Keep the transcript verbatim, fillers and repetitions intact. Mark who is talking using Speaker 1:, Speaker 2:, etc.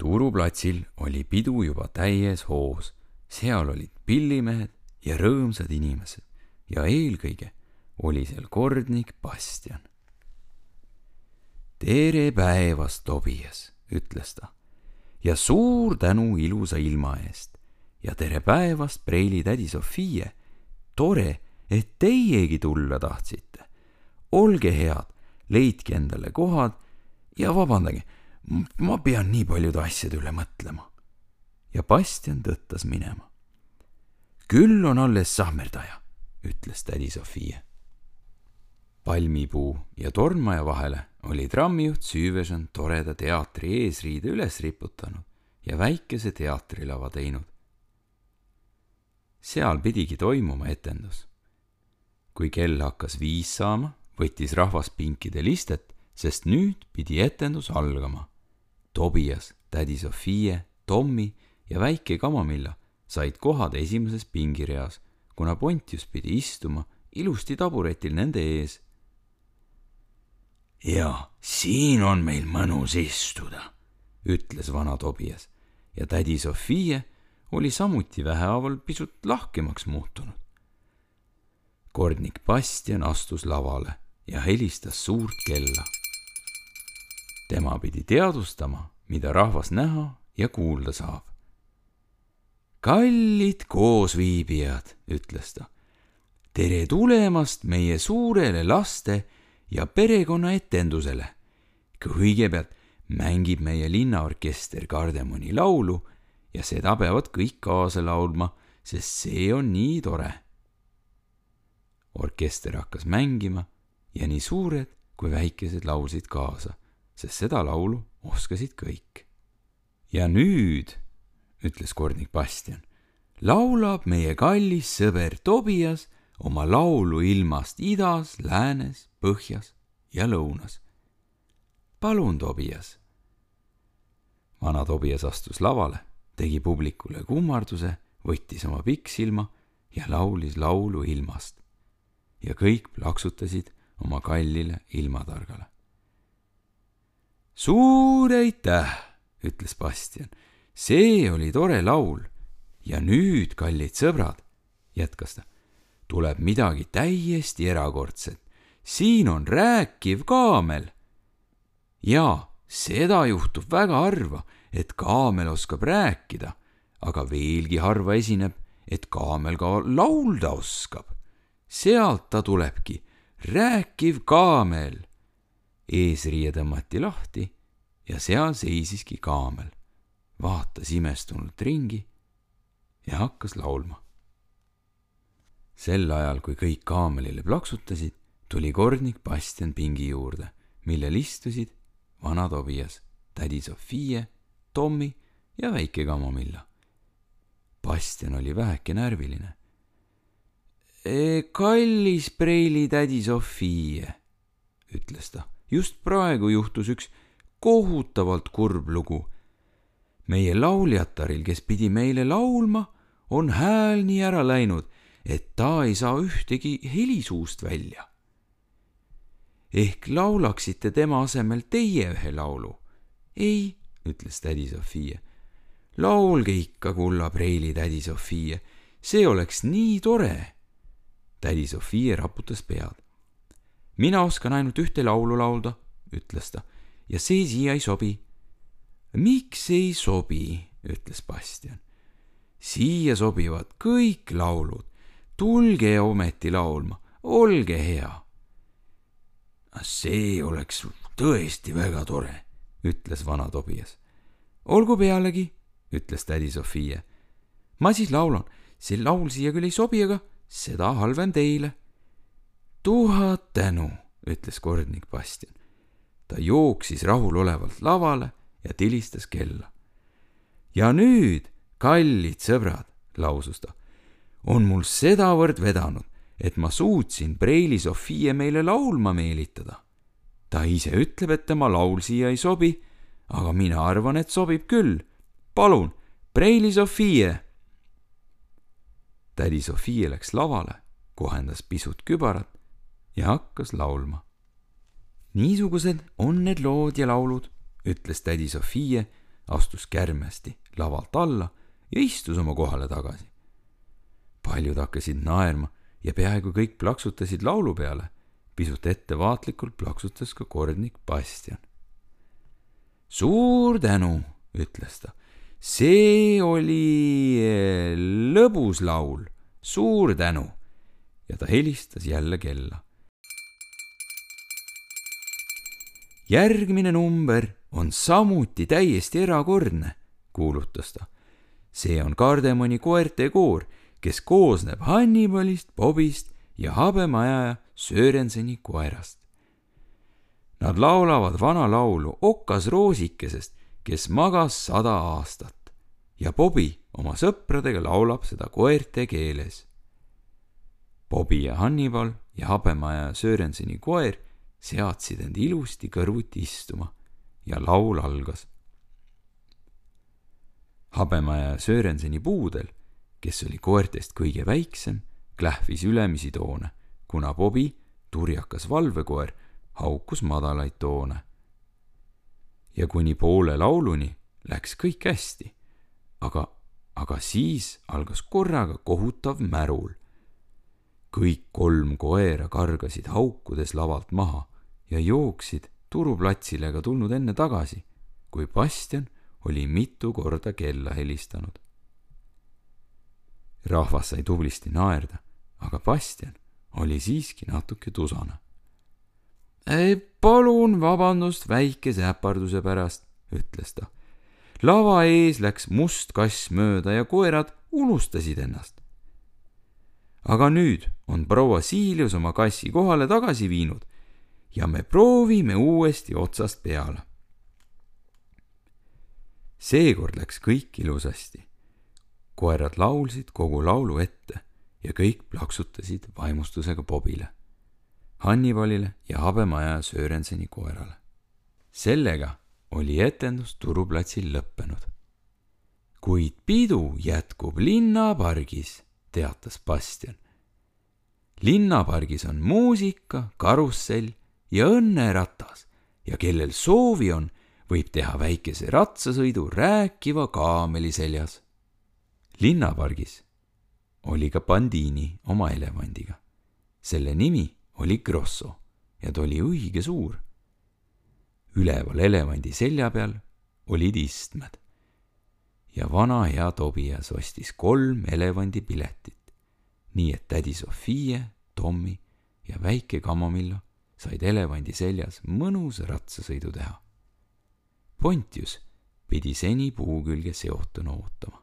Speaker 1: Turuplatsil oli pidu juba täies hoos. Seal olid pillimehed ja rõõmsad inimesed ja eelkõige oli seal kordnik Bastian. Tere päevast, Tobias, ütles ta, ja suur tänu ilusa ilma eest ja tere päevast, Preili tädi Sofie. Tore, et teiegi tulla tahtsite. Olge head, leidke endale kohad ja vabandage, ma pean nii paljude asjade üle mõtlema. Ja Bastian tõttas minema. Küll on alles sahmerdaja, ütles tädi Sofie. Palmipuu ja tornmaja vahele oli trammijuht Süüvežan toreda teatri eesriide üles riputanud ja väikese teatrilava teinud. Seal pidigi toimuma etendus. Kui kell hakkas viis saama, võttis rahvas pinkide listet, sest nüüd pidi etendus algama. Tobias, tädi Sofie, Tommi ja väike Kamamilla said kohad esimeses pingireas, kuna Pontius pidi istuma ilusti taburetil nende ees. Ja siin on meil mõnus istuda, ütles vana Tobias ja tädi Sofie oli samuti vähehaaval pisut lahkemaks muutunud. Kordnik Bastian astus lavale ja helistas suurt kella. Tema pidi teadustama, mida rahvas näha ja kuulda saab. Kallid koosviibijad, ütles ta, tere tulemast meie suurele laste ja perekonna etendusele. Kõigepealt mängib meie linnaorkester Kardemoni laulu ja seda peavad kõik kaasa laulma, sest see on nii tore. Orkester hakkas mängima ja nii suured kui väikesed laulsid kaasa, sest seda laulu oskasid kõik. Ja nüüd, ütles kordnik Bastian, laulab meie kallis sõber Tobias oma laulu ilmast idas, läänes, põhjas ja lõunas. Palun, Tobias. Vana Tobias astus lavale, tegi publikule kummarduse, võttis oma pikksilma ja laulis laulu ilmast. Ja kõik plaksutasid oma kallile ilmatargale. Suur aitäh, ütles Bastian. See oli tore laul. Ja nüüd, kallid sõbrad, jätkas ta, tuleb midagi täiesti erakordset. Siin on rääkiv kaamel. Ja seda juhtub väga harva, et kaamel oskab rääkida, aga veelgi harva esineb, et kaamel ka laulda oskab. Sealt ta tulebki, rääkiv kaamel. Eesriie tõmmati lahti ja seal seisiski kaamel. Vaatas imestunult ringi ja hakkas laulma. Sel ajal, kui kõik kaamelile plaksutasid, tuli kordnik Bastian pingi juurde, millel istusid vana Tobias, tädi Sofie, Tommi ja väike Kamamilla. Bastian oli väheke närviline. E, kallis Preili tädi Sofie, ütles ta. Just praegu juhtus üks kohutavalt kurb lugu. Meie lauljataril, kes pidi meile laulma, on hääl nii ära läinud, et ta ei saa ühtegi helisuust välja. Ehk laulaksite tema asemel teie ühe laulu? Ei, ütles tädi Sofie. Laulge ikka, kulla Preili tädi Sofie, see oleks nii tore. Tädi Sofie raputas pead. Mina oskan ainult ühte laulu laulda, ütles ta, ja see siia ei sobi. Miks ei sobi, ütles Bastian. Siia sobivad kõik laulud. Tulge ometi laulma, olge hea. See oleks tõesti väga tore, ütles vana Tobias. Olgu pealegi, ütles tädi Sofie. Ma siis laulan, see laul siia küll ei sobi, aga seda halvem teile. Tuhat tänu, ütles kordnik Bastian. Ta jooksis rahulolevalt lavale ja tilistas kella. Ja nüüd, kallid sõbrad, lausus ta, on mul sedavõrd vedanud, et ma suutsin Preili Sofie meile laulma meelitada. Ta ise ütleb, et tema laul siia ei sobi, aga mina arvan, et sobib küll. Palun, Preili Sofie! Tädi Sofie läks lavale, kohendas pisut kübarat ja hakkas laulma. Niisugused on need lood ja laulud, ütles tädi Sofie astus kärmesti lavalt alla ja istus oma kohale tagasi. Paljud hakkasid naerma ja peaaegu kõik plaksutasid laulu peale. Pisut ettevaatlikult plaksutas ka kordnik Bastian. Suur tänu, ütles ta. See oli lõbus laul. Suur tänu. Ja ta helistas jälle kella. Järgmine number on samuti täiesti erakordne, kuulutas ta. See on Kardemoni koerte koor, kes koosneb Hannibalist, Bobist ja Habemaja Sörenseni koerast. Nad laulavad vana laulu Okas roosikesest, kes magas sada aastat ja Bobi oma sõpradega laulab seda koerte keeles. Bobi ja Hannibal ja Habemaja Sörenseni koer seadsid end ilusti kõrvuti istuma ja laul algas. Habemaja Sörenseni puudel, kes oli koertest kõige väiksem, klähvis ülemisi toone, kuna Bobi, turjakas valvekoer, haukus madalaid toone. Ja kuni poole lauluni läks kõik hästi, aga, aga siis algas korraga kohutav märul. Kõik kolm koera kargasid haukudes lavalt maha ja jooksid turuplatsile ka tulnud enne tagasi, kui Bastian oli mitu korda kella helistanud. Rahvas sai tublisti naerda, aga Bastian oli siiski natuke tusane. Ei, palun vabandust väikese äparduse pärast, ütles ta. Lava ees läks must kass mööda ja koerad unustasid ennast. Aga nüüd on proua Siilius oma kassi kohale tagasi viinud ja me proovime uuesti otsast peale. Seekord läks kõik ilusasti. Koerad laulsid kogu laulu ette ja kõik plaksutasid vaimustusega Bobile, Hannibalile ja Habemaja Sörenseni koerale. Sellega oli etendus turuplatsil lõppenud. Kuid pidu jätkub linnapargis, teatas Bastian. Linnapargis on muusika, karussell ja õnneratas ja kellel soovi on, võib teha väikese ratsasõidu rääkiva kaameli seljas. Linnapargis oli ka Bandini oma elevandiga. Selle nimi oli Grosso ja ta oli õige suur. Üleval elevandi selja peal olid istmed ja vana hea Tobias ostis kolm elevandi piletit, nii et tädi Sofie, Tommi ja väike Kamomillo said elevandi seljas mõnusa ratsasõidu teha. Pontius pidi seni puu külge seotuna ootama.